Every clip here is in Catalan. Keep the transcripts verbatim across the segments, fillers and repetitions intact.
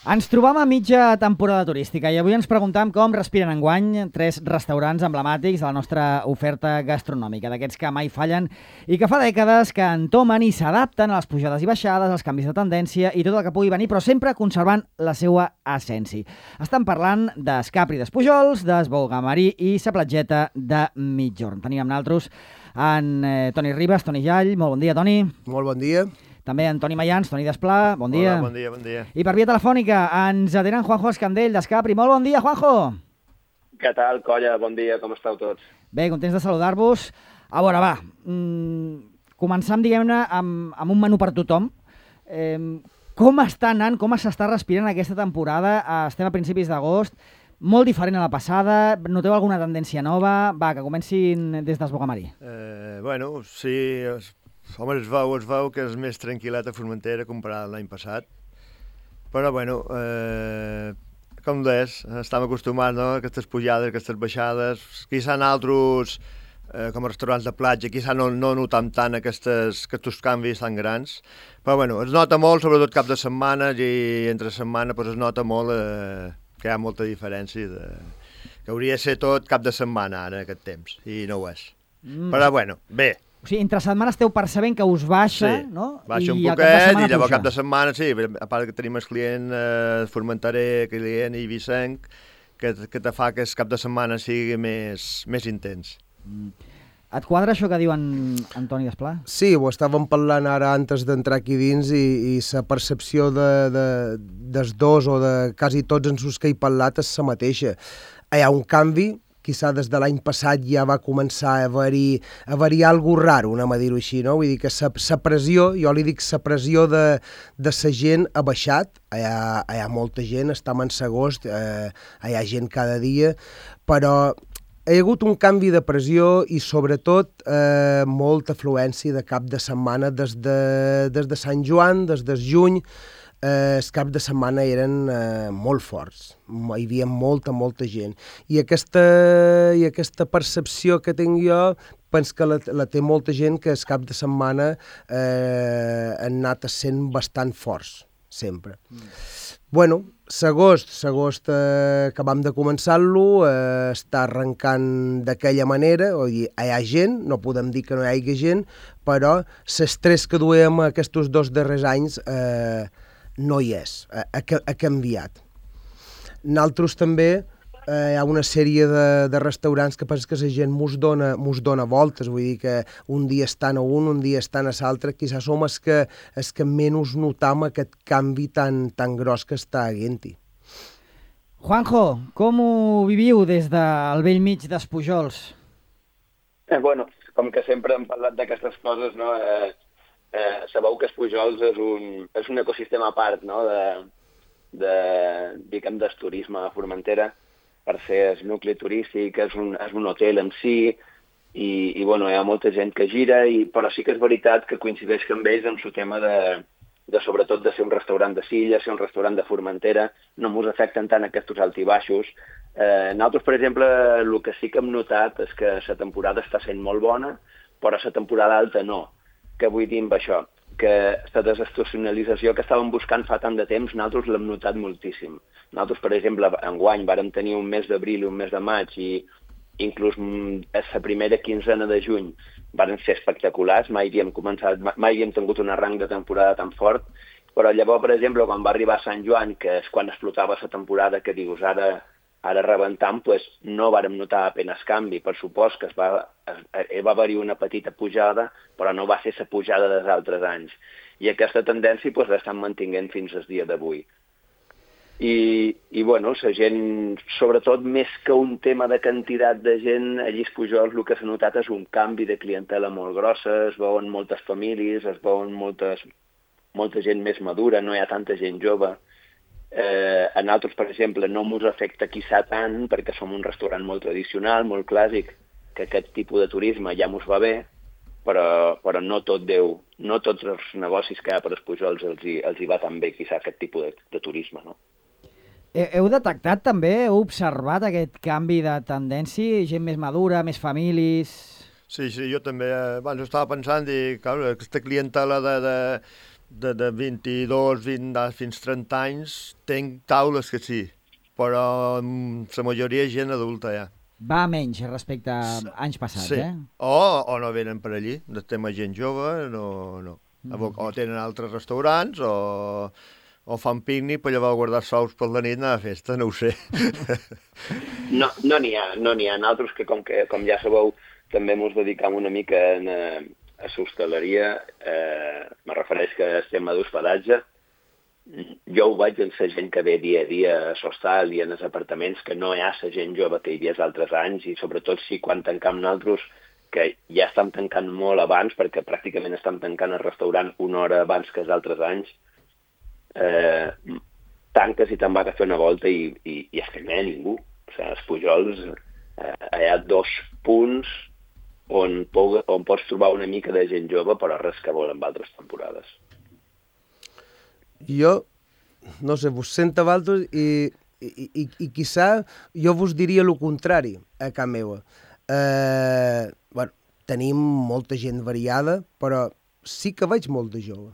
Ens trobam a mitja temporada turística i avui ens preguntam com respiren enguany tres restaurants emblemàtics de la nostra oferta gastronòmica, d'aquests que mai fallen i que fa dècades que entomen i s'adapten a les pujades i baixades, als canvis de tendència i tot el que pugui venir, però sempre conservant la seva essència. Estan parlant d'Escapri d'Espujols, d'Esbogamarí i sa platgeta de Migjorn. Tenim amb nosaltres en eh, Toni Ribas, Toni Jall. Molt bon dia, Toni. Molt bon dia. També en Toni Mayans, Toni Desplà, bon dia. Hola, bon dia, bon dia. I per via telefònica ens atenen Juanjo Escandell d'Escapri. Molt bon dia, Juanjo. Què tal, colla? Bon dia, com esteu tots? Bé, contents de saludar-vos. A veure, va, mmm, començam, diguem-ne, amb, amb un menú per tothom. Eh, com està anant, com s'està respirant aquesta temporada? Estem a principis d'agost, molt diferent a la passada. Noteu alguna tendència nova? Va, que comencin des d'Esbogamarí. Eh, bueno, sí... Es... Home, es veu, es veu que és més tranquil·let a Formentera comparat amb l'any passat. Però, bueno, eh, com deies, estem acostumats, no?, a aquestes pujades, aquestes baixades. Quizà en altres, eh, com a restaurants de platja, quizà no, no notam tant aquestes, aquests canvis tan grans. Però, bueno, es nota molt, sobretot cap de setmana, i entre setmana pues, es nota molt eh, que hi ha molta diferència. De... que hauria de ser tot cap de setmana, ara, en aquest temps, i no ho és. Mm. Però, bueno, bé. O sigui, entre setmanes esteu percebent que us baixa, sí, no? Baixa I un poquet i llavors cap de setmana, sí, a part que tenim el client eh, formenterer, client i vicenc, que, que te fa que el cap de setmana sigui més, més intens. Mm. Et quadra això que diu en Antoni Desplà? Sí, ho estàvem parlant ara antes d'entrar aquí dins i, i la percepció de, de, dels dos o de quasi tots els que he parlat és la mateixa. Hi ha un canvi, quizà des de l'any passat ja va començar a haver-hi a haver-hi alguna raro, anem a dir-ho així, no? Vull dir que la pressió, jo li dic la pressió de, de la gent ha baixat, hi ha, hi ha molta gent, estem en agost, eh, hi ha gent cada dia, però hi ha hagut un canvi de pressió i sobretot eh, molta afluència de cap de setmana des de, des de Sant Joan, des de juny. Eh, els caps de setmana eren eh, molt forts, hi havia molta, molta gent. I aquesta, i aquesta percepció que tinc jo, penso que la, la té molta gent, que els caps de setmana eh, han anat sent bastant forts, sempre. Mm. Bueno, l'agost, l'agost eh, acabam de començar-lo, eh, està arrencant d'aquella manera, o dir, hi ha gent, no podem dir que no hi hagi gent, però l'estrès que duem aquests dos darrers anys eh, no hi és, ha, ha canviat. Nosaltres també eh, hi ha una sèrie de, de restaurants que penso que la gent mos dona, mos dona voltes, vull dir que un dia estan a un, un dia estan a l'altre, quizás som els que, els que menys notam aquest canvi tan, tan gros que està havent-hi. Juanjo, com ho viviu des del vell mig d'Espujols? Eh, bueno, com que sempre hem parlat d'aquestes coses, no? Eh, Eh, sabeu que Espujols és un, és un ecosistema a part, no?, de, de, diguem, del turisme a Formentera, per ser el nucli turístic, és un, és un hotel en si, i, i bueno, hi ha molta gent que gira, i, però sí que és veritat que coincideix amb ells en el tema de, de, sobretot, de ser un restaurant de Silla, ser un restaurant de Formentera, no ens afecten tant aquests alts i baixos. Eh, nosaltres, per exemple, el que sí que hem notat és que la temporada està sent molt bona, però la temporada alta no. Què vull dir amb això? Que la desestacionalització que estàvem buscant fa tant de temps, nosaltres l'hem notat moltíssim. Nosaltres, per exemple, enguany vàrem tenir un mes d'abril i un mes de maig i inclús la primera quinzena de juny varen ser espectaculars, mai havíem començat, mai havíem tingut un arranc de temporada tan fort, però llavors, per exemple, quan va arribar Sant Joan, que és quan explotava la temporada, que dius ara... ara rebentant, pues, no vàrem notar apenas canvi. Per supost que es va, es, va haver-hi una petita pujada, però no va ser la pujada dels altres anys. I aquesta tendència pues, l'estan mantinguent fins al dia d'avui. I, i bueno, la gent, sobretot més que un tema de quantitat de gent, allí a Espujols el que s'ha notat és un canvi de clientela molt grossa, es veuen moltes famílies, es veuen moltes, molta gent més madura, no hi ha tanta gent jove. Eh, a nosaltres, per exemple, no ens afecta quizà tant perquè som un restaurant molt tradicional, molt clàssic, que aquest tipus de turisme ja ens va bé, però, però no tot Déu, no tots els negocis que hi ha per Espujols els hi, els hi va tan bé quizà aquest tipus de, de turisme, no? Heu detectat també, heu observat aquest canvi de tendència, gent més madura, més famílies... Sí, sí, jo també, abans estava pensant i, clar, aquesta clientela de, de, de, de vint-i-dos, vint, fins trenta anys, tenc taules que sí, però la majoria és gent adulta ja. Va menys respecte a anys passats, sí. eh? O, o no venen per allí, de tema gent jove, no, no. Mm. O tenen altres restaurants, o, o fan pícnic per llavors guardar sous per la nit anar a festa, no ho sé. No no n'hi ha, no n'hi ha. Nosaltres que, com, que, com ja sabeu, també ens dedicam una mica en, a l'hostaleria, eh, me refereix que estem a d'hospedatge. Jo ho veig en la gent que ve dia a dia a l'hostal i en els apartaments, que no hi ha la gent jove que hi havia els altres anys, i sobretot si quan tancam nosaltres, que ja estem tancant molt abans, perquè pràcticament estem tancant el restaurant una hora abans que els altres anys, eh, tanques i te'n vas a fer una volta i, i, i és que no hi ha ningú. O sigui, els Pujols, eh, hi ha dos punts on, on pots trobar una mica de gent jove, però res que vol amb altres temporades. Jo, no sé, vos sento a vosaltres i, i, i, i quizà jo vos diria el contrari a casa meva. Eh, bueno, tenim molta gent variada, però sí que veig molt de jove.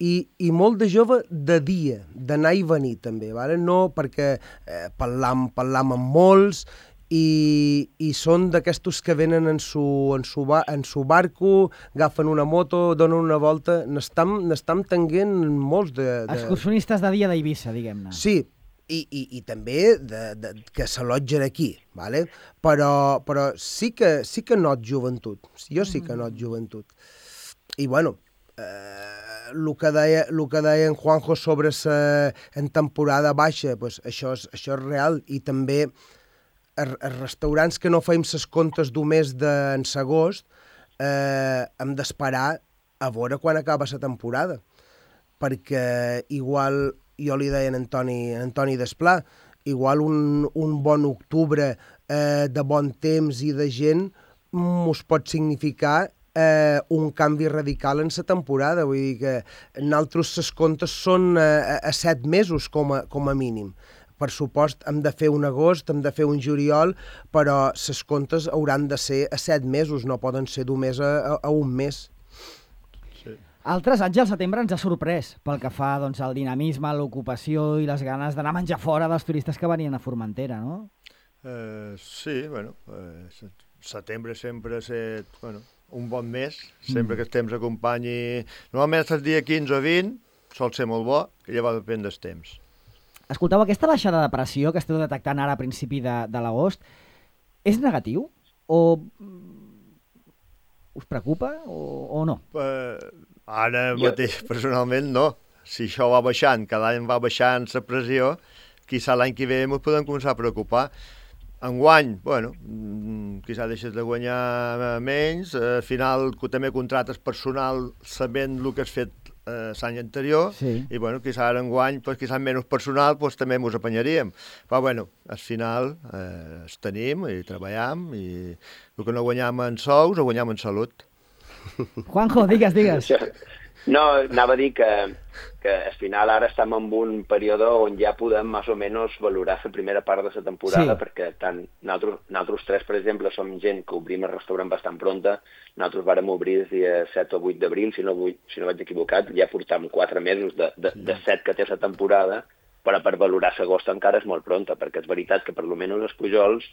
I, i molt de jove de dia, d'anar i venir també, vale? No perquè eh, parlam, parlam amb molts i, i són d'aquestos que venen en su, en, su ba, en su barco, agafen una moto, donen una volta, n'estam tenint molts de... de... Excursionistes de dia d'Eivissa, diguem-ne. Sí, i, i, i també de, de, que s'allotgen aquí, vale? però, però sí que, sí que not joventut, jo sí que not joventut. I bueno, eh, el que deia, el que deia en Juanjo sobre sa, en temporada baixa, pues això, és, això és real, i també els restaurants que no feim ses comptes d'un mes d'en agost, eh, hem d'esperar a veure quan acaba la temporada, perquè igual, jo li deia a Antoni, a Antoni Desplà, igual un, un bon octubre eh, de bon temps i de gent mos pot significar eh, un canvi radical en la temporada. Vull dir que nosaltres ses comptes són eh, a set mesos com a, com a mínim. Per supost, hem de fer un agost, hem de fer un juliol, però ses comptes hauran de ser a set mesos, no poden ser d'un mes a, a, a un mes. Sí. Altres anys al setembre ens ha sorprès pel que fa doncs, al dinamisme, l'ocupació i les ganes d'anar a menjar fora dels turistes que venien a Formentera, no? Eh, sí, bueno, eh, setembre sempre ha estat bueno, un bon mes, sempre mm. que el temps acompanyi... Normalment el dia quinze o vint sol ser molt bo, que llavors depèn del temps. Escolteu, aquesta baixada de pressió que esteu detectant ara a principi de, de l'agost, és negatiu? O us preocupa o, o no? Uh, ara mateix, personalment, no. Si això va baixant, cada any va baixant la pressió, quizà l'any que ve ens podem començar a preocupar. Enguany, bueno, quizà deixes de guanyar menys, al final també contractes personal sabent el que has fet eh, l'any anterior, sí. I bueno, quizà ara enguany, pues, quizà menys personal, pues, també ens apanyaríem. Però bueno, al final eh, els tenim i treballem i el que no guanyam en sous ho guanyam en salut. Juanjo, digues, digues. No, anava a dir que, que al final ara estem en un període on ja podem més o menys valorar la primera part de la temporada, sí. Perquè tant nosaltres, nosaltres tres, per exemple, som gent que obrim el restaurant bastant pronta. Nosaltres vàrem obrir el dia set o vuit d'abril, si no, si no vaig equivocat, ja portam quatre mesos de, de, de set que té la temporada, però per valorar l'agost encara és molt pronta, perquè és veritat que per almenys els Pujols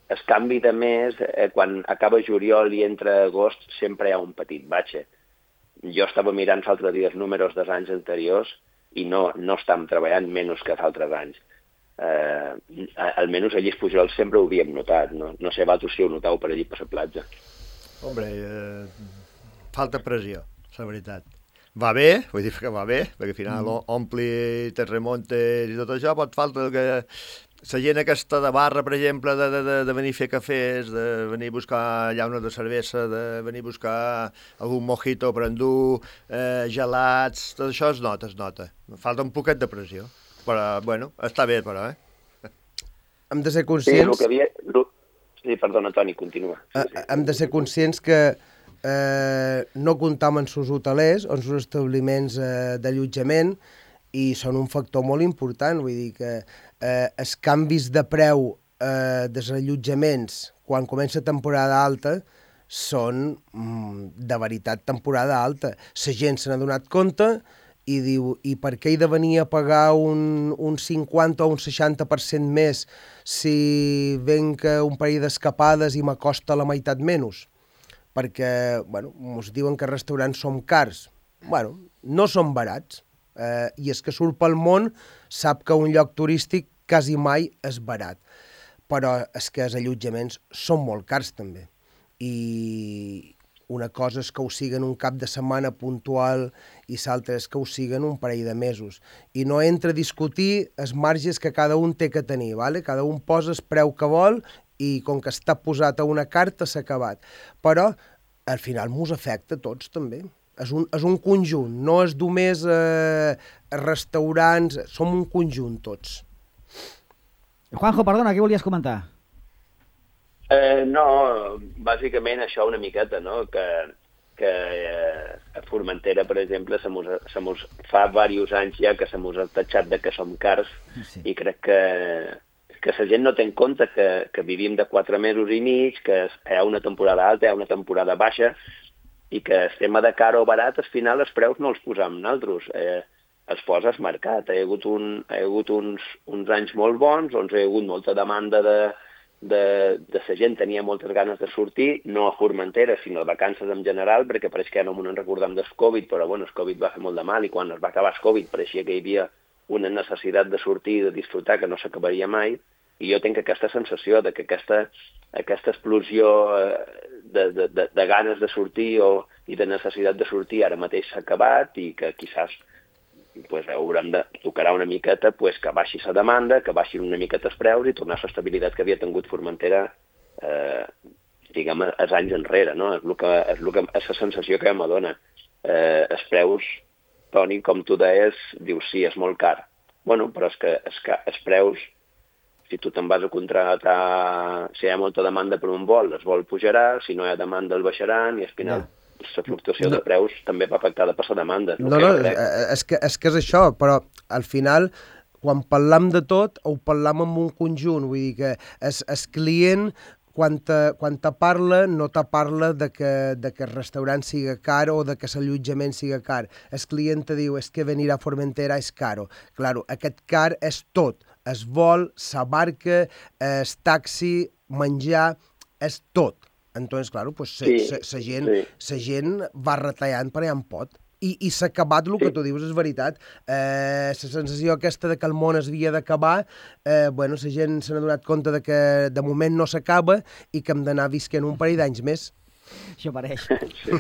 el canvi de mes, eh, quan acaba juliol i entra agost, sempre hi ha un petit batxe. Jo estava mirant l'altre dia els números dels anys anteriors i no, no estàvem treballant menys que els altres anys. Eh, almenys allí els Pujols sempre ho havíem notat. No, no sé, vosaltres si ho noteu per allí per la platja. Hombre, eh, falta pressió, la veritat. Va bé, vull dir que va bé, perquè al final mm. ompli, te remontes i tot això, pot falta que la gent aquesta de barra, per exemple, de, de, de venir a fer cafès, de venir a buscar llaunes de cervesa, de venir a buscar algun mojito per endur, eh, gelats, tot això es nota, es nota. Falta un poquet de pressió, però, bueno, està bé, però, eh? Hem de ser conscients... Sí, el que havia... Sí, perdona, Toni, continua. Sí, sí. Hem de ser conscients que eh, no comptam amb els hotelers o amb els establiments eh, d'allotjament i són un factor molt important, vull dir que eh, els canvis de preu eh, dels allotjaments quan comença temporada alta són mm, de veritat temporada alta. La gent se n'ha donat compte i diu, i per què he de venir a pagar un, un cinquanta o un seixanta per cent més si venc un parell d'escapades i m'acosta la meitat menys? Perquè, bueno, ens diuen que els restaurants són cars. Bueno, no són barats. Eh, I és que surt pel món, sap que un lloc turístic quasi mai és barat. Però és que els allotjaments són molt cars també. I una cosa és que ho siguen un cap de setmana puntual i l'altra és que ho siguen un parell de mesos. I no entra a discutir els marges que cada un té que tenir, ¿vale? Cada un posa el preu que vol i com que està posat a una carta s'ha acabat. Però al final mos afecta a tots també. És un, és un conjunt, no és només eh, restaurants, som un conjunt tots. Juanjo, perdona, què volies comentar? Eh, no, bàsicament això una miqueta, no? Que, que eh, a Formentera, per exemple, se mos, se mos, fa diversos anys ja que se mos ha tatxat de que som cars, sí. I crec que, que la gent no té en compte que, que vivim de quatre mesos i mig, que hi ha una temporada alta, hi ha una temporada baixa, i que el tema de car o barat, al final els preus no els posam nosaltres, eh, els posa el mercat. Hi ha hagut, un, hi ha hagut uns, uns anys molt bons, on hi ha hagut molta demanda de, de, de la gent, tenia moltes ganes de sortir, no a Formentera, sinó a vacances en general, perquè pareix que ja no m'ho recordem del Covid, però bueno, el Covid va fer molt de mal, i quan es va acabar el Covid pareixia que hi havia una necessitat de sortir i de disfrutar que no s'acabaria mai, i jo tinc aquesta sensació de que aquesta, aquesta explosió de, de, de, de ganes de sortir o, i de necessitat de sortir ara mateix s'ha acabat i que quizás pues, haurem de tocar una miqueta pues, que baixi la demanda, que baixin una miqueta els preus i tornar a l'estabilitat que havia tingut Formentera eh, diguem, els anys enrere. No? És, el que, és, el que, és la sensació que m'adona. Eh, els preus, Toni, com tu deies, dius sí, és molt car. Bueno, però és que, és que els preus, si tu te'n vas a contractar, si hi ha molta demanda per un vol, el vol pujarà, si no hi ha demanda el baixaran i al final yeah. la fluctuació no. de preus també va afectada per la demanda. No, no, és que, és que és això, però al final, quan parlam de tot, ho parlam en un conjunt, vull dir que el, el client, quan te, quan te parla, no te parla de que, de que el restaurant siga car o de que l'allotjament siga car. El client te diu, és que venir a Formentera és caro. Claro, aquest car és tot. Es vol, la barca, el taxi, menjar, és tot. Entonces, claro, pues, sí, sa, sa, gent, sí. sa gent va retallant per allà en pot. I, i s'ha acabat el que tu dius, és veritat. Eh, la sensació aquesta de que el món es havia d'acabar, eh, bueno, la gent se n'ha donat compte de que de moment no s'acaba i que hem d'anar visquent un parell d'anys més. Això pareix. Sí.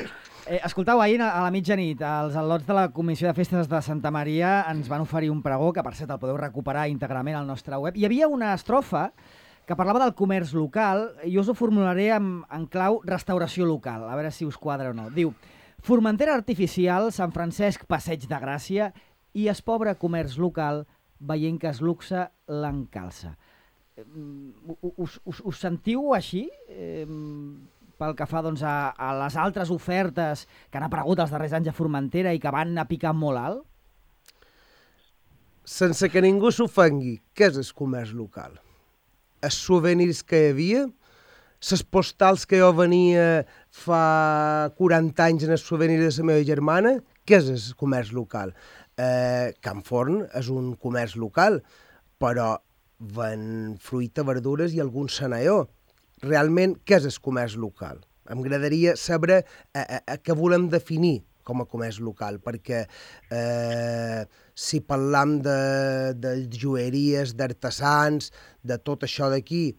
Eh, escoltau, ahir a la mitjanit, els al·lots de la Comissió de Festes de Santa Maria ens van oferir un pregó, que per cert el podeu recuperar íntegrament al nostre web. Hi havia una estrofa que parlava del comerç local, i us ho formularé en, en clau restauració local, a veure si us quadra o no. Diu, Formentera artificial, Sant Francesc passeig de Gràcia i es pobre comerç local veient que es luxe l'encalça. Us, us, us sentiu així? Eh, pel que fa doncs, a, a les altres ofertes que han aparegut els darrers anys a Formentera i que van a picar molt alt? Sense que ningú s'ofengui, què és el comerç local? Els souvenirs que hi havia? Les postals que jo venia fa quaranta anys en el souvenir de la meva germana? Què és el comerç local? Eh, Can Forn és un comerç local, però ven fruita, verdures i algun senaió. Realment, què és el comerç local? Em agradaria saber a, a, a què volem definir com a comerç local, perquè eh, si parlam de, de joieries, d'artesans, de tot això d'aquí,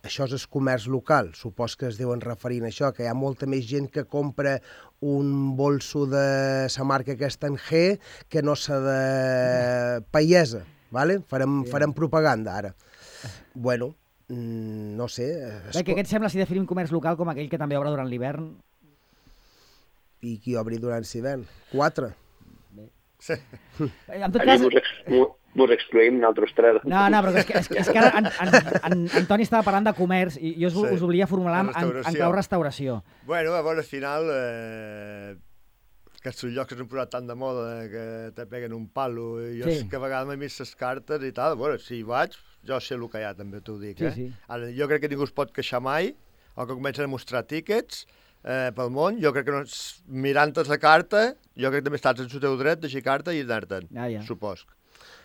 això és el comerç local. Supos que es deuen referint a això, que hi ha molta més gent que compra un bolso de la marca aquesta en G que no sa de Paiesa, ¿vale? Farem, farem propaganda ara. Bueno, no sé... Bé, què et sembla si definim comerç local com aquell que també obre durant l'hivern? I qui obri durant l'hivern? Quatre. Bé. Sí. En tot cas... Mos excluïm nosaltres tres. No, no, però és que, és, és que ara en, en, en, en Toni estava parlant de comerç i jo us, sí, us volia formular en, en clau restauració. Bueno, a veure, al final, eh, aquests llocs que s'han posat tan de moda que te peguen un palo, i jo sí. que a vegades m'he vist les cartes i tal, bueno, si hi vaig, jo sé el que hi ha, també t'ho dic, eh? Sí, sí. Ara, jo crec que ningú es pot queixar mai, o que comencen a mostrar tíquets, eh, pel món, jo crec que no, mirant la carta, jo crec que també estàs en el teu dret d'així carta i anar-te'n, Ah, ja. supos.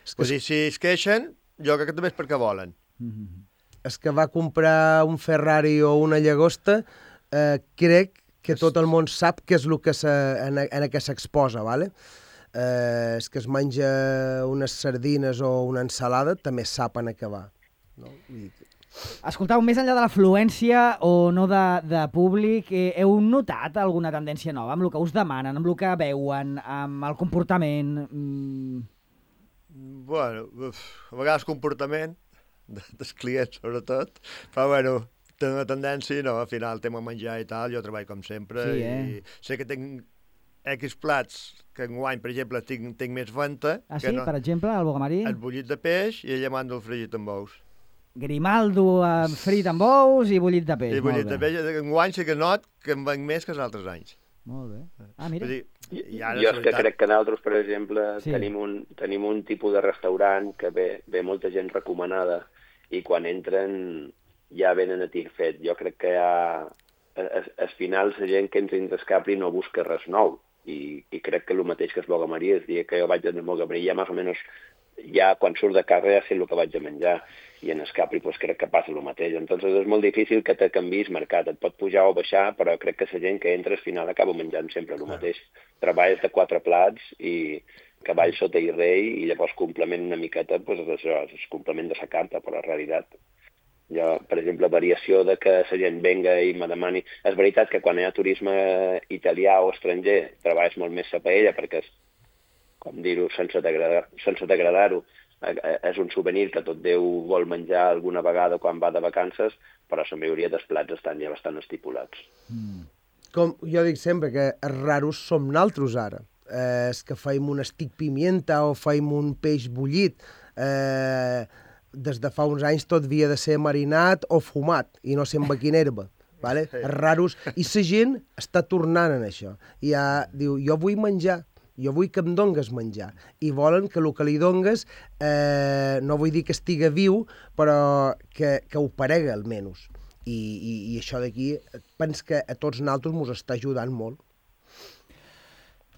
És que, Vull dir, si es queixen, jo crec que també és perquè volen. Mm-hmm. és que va comprar un Ferrari o una llagosta, eh, crec que tot el món sap què és el que se, en, en què s'exposa, ¿vale? Eh, és que es menja unes sardines o una ensalada, també saben a què va. No? I... Escoltau, més enllà de l'afluència o no de, de públic, eh, heu notat alguna tendència nova amb el que us demanen, amb el que veuen, amb el comportament? Mm... Bueno, uf, a vegades comportament de, dels clients, sobretot, però bueno, té una tendència, no, al final tema menjar i tal, jo treballo com sempre, Sí, eh? i sé que tinc X plats, que enguany, per exemple, tinc, tinc més venta, Ah, que sí? no, Per exemple, el bogamarí? el bullit de peix i ella manda el fregit amb ous. Grimaldo eh, frit amb ous i bullit de peix. I bullit Molt de bé. peix, enguany sí que not que em venc més que els altres anys. Molt bé. Ah, mira. Vull dir, i, i ara, Jo la és que veritat, crec que nosaltres, per exemple, Sí. sí. tenim, un, tenim un tipus de restaurant que ve, ve molta gent recomanada i quan entren ja venen a tir fet. Jo crec que ja, al, al final la gent que entra dins el Capri no busca res nou i, i crec que el mateix que es Bogamarí, el dia que jo vaig al Bogamarí ja més o menys ja quan surt de casa ja sé el que vaig a menjar i en el Capri pues, crec que passa el mateix. Entonces és molt difícil que te canviïs mercat, et pot pujar o baixar, però crec que la gent que entra al final acaba menjant sempre el mateix. Treballes de quatre plats i cavall sota i rei i llavors complement una miqueta pues, això, el complement de la carta, però en realitat jo, per exemple, variació de que la gent venga i me demani... És veritat que quan hi ha turisme italià o estranger treballes molt més la paella perquè, és, com dir-ho, sense degradar- sense degradar-ho, és un souvenir que tot Déu vol menjar alguna vegada quan va de vacances, però la majoria dels plats estan ja bastant estipulats. Mm. Com jo dic sempre, que els raros som naltros ara. Eh, és que feim un estic pimienta o feim un peix bullit. Eh, des de fa uns anys tot havia de ser marinat o fumat, i no ser amb quina herba. Vale? Els raros. I la gent està tornant en això. I ja diu, jo vull menjar, jo vull que em dongues menjar. I volen que el que li dongues, eh, no vull dir que estiga viu, però que, que ho parega almenys. I, i, i això d'aquí, penso que a tots nosaltres ens està ajudant molt.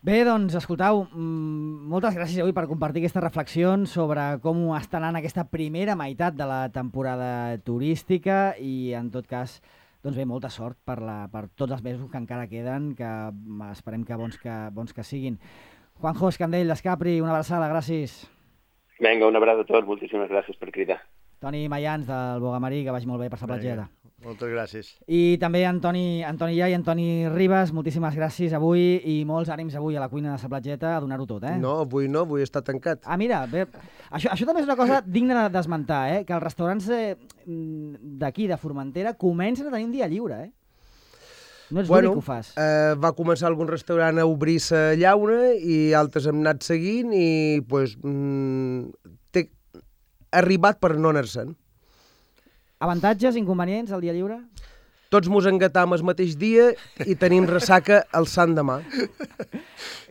Bé, doncs, escoltau, mmm, moltes gràcies avui per compartir aquestes reflexions sobre com està anant aquesta primera meitat de la temporada turística i, en tot cas, doncs bé, molta sort per, la, per tots els mesos que encara queden, que esperem que bons que, bons que siguin. Juanjo Escandell, d'Escapri, una abraçada, gràcies. Vinga, un abraç a tots, moltíssimes gràcies per cridar. Toni Mayans, del Bogamarí, que vagi molt bé per la platgeta. moltes gràcies. I també Antoni, Antoni Ja i Antoni Ribas, moltíssimes gràcies avui i molts ànims avui a la cuina de la platgeta a donar-ho tot, eh? No, avui no, avui està tancat. Ah, mira, bé, això, això també és una cosa digna de- d'esmentar, eh? Que els restaurants eh, d'aquí, de Formentera, comencen a tenir un dia lliure, eh? No ets l'únic que ho fas. Eh, va començar algun restaurant a obrir la llauna i altres hem anat seguint i pues, mm, té arribat per no anar-se'n. Avantatges, inconvenients, al dia lliure? Tots mos engatam el mateix dia i tenim ressaca el sant demà.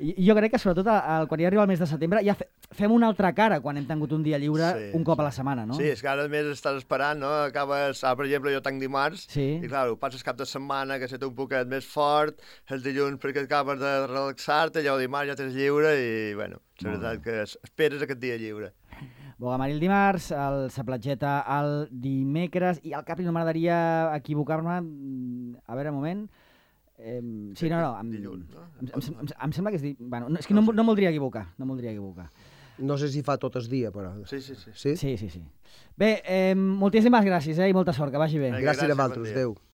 I- Jo crec que sobretot el, quan ja arriba el mes de setembre ja fe, fem una altra cara quan hem tingut un dia lliure Sí, un cop a la setmana, no? Sí, és que ara a més estàs esperant, no? Acabes, ah, per exemple, jo tanc dimarts, Sí. i clar, ho passes cap de setmana, que se té un poquet més fort, el dilluns perquè acabes de relaxar-te, ja el dimarts ja tens lliure i, bueno, la veritat que es- esperes aquest dia lliure. Bogamarí el dimarts, el sa platgeta el dimecres, i al Capri no m'agradaria equivocar-me, mm, a veure, un moment... Eh, sí, no, no, em, Dilluns, no? em, em, em, em sembla que és... Di... Bueno, no, és que no, em- no em voldria equivocar, no em voldria equivocar. No sé si fa tot el dia, però... Sí, sí, sí. Sí? Sí, sí, sí. Bé, eh, moltíssimes gràcies, eh, i molta sort, que vagi bé. Vinga, Gràcies gràcies, a bon vosaltres, dia. adéu.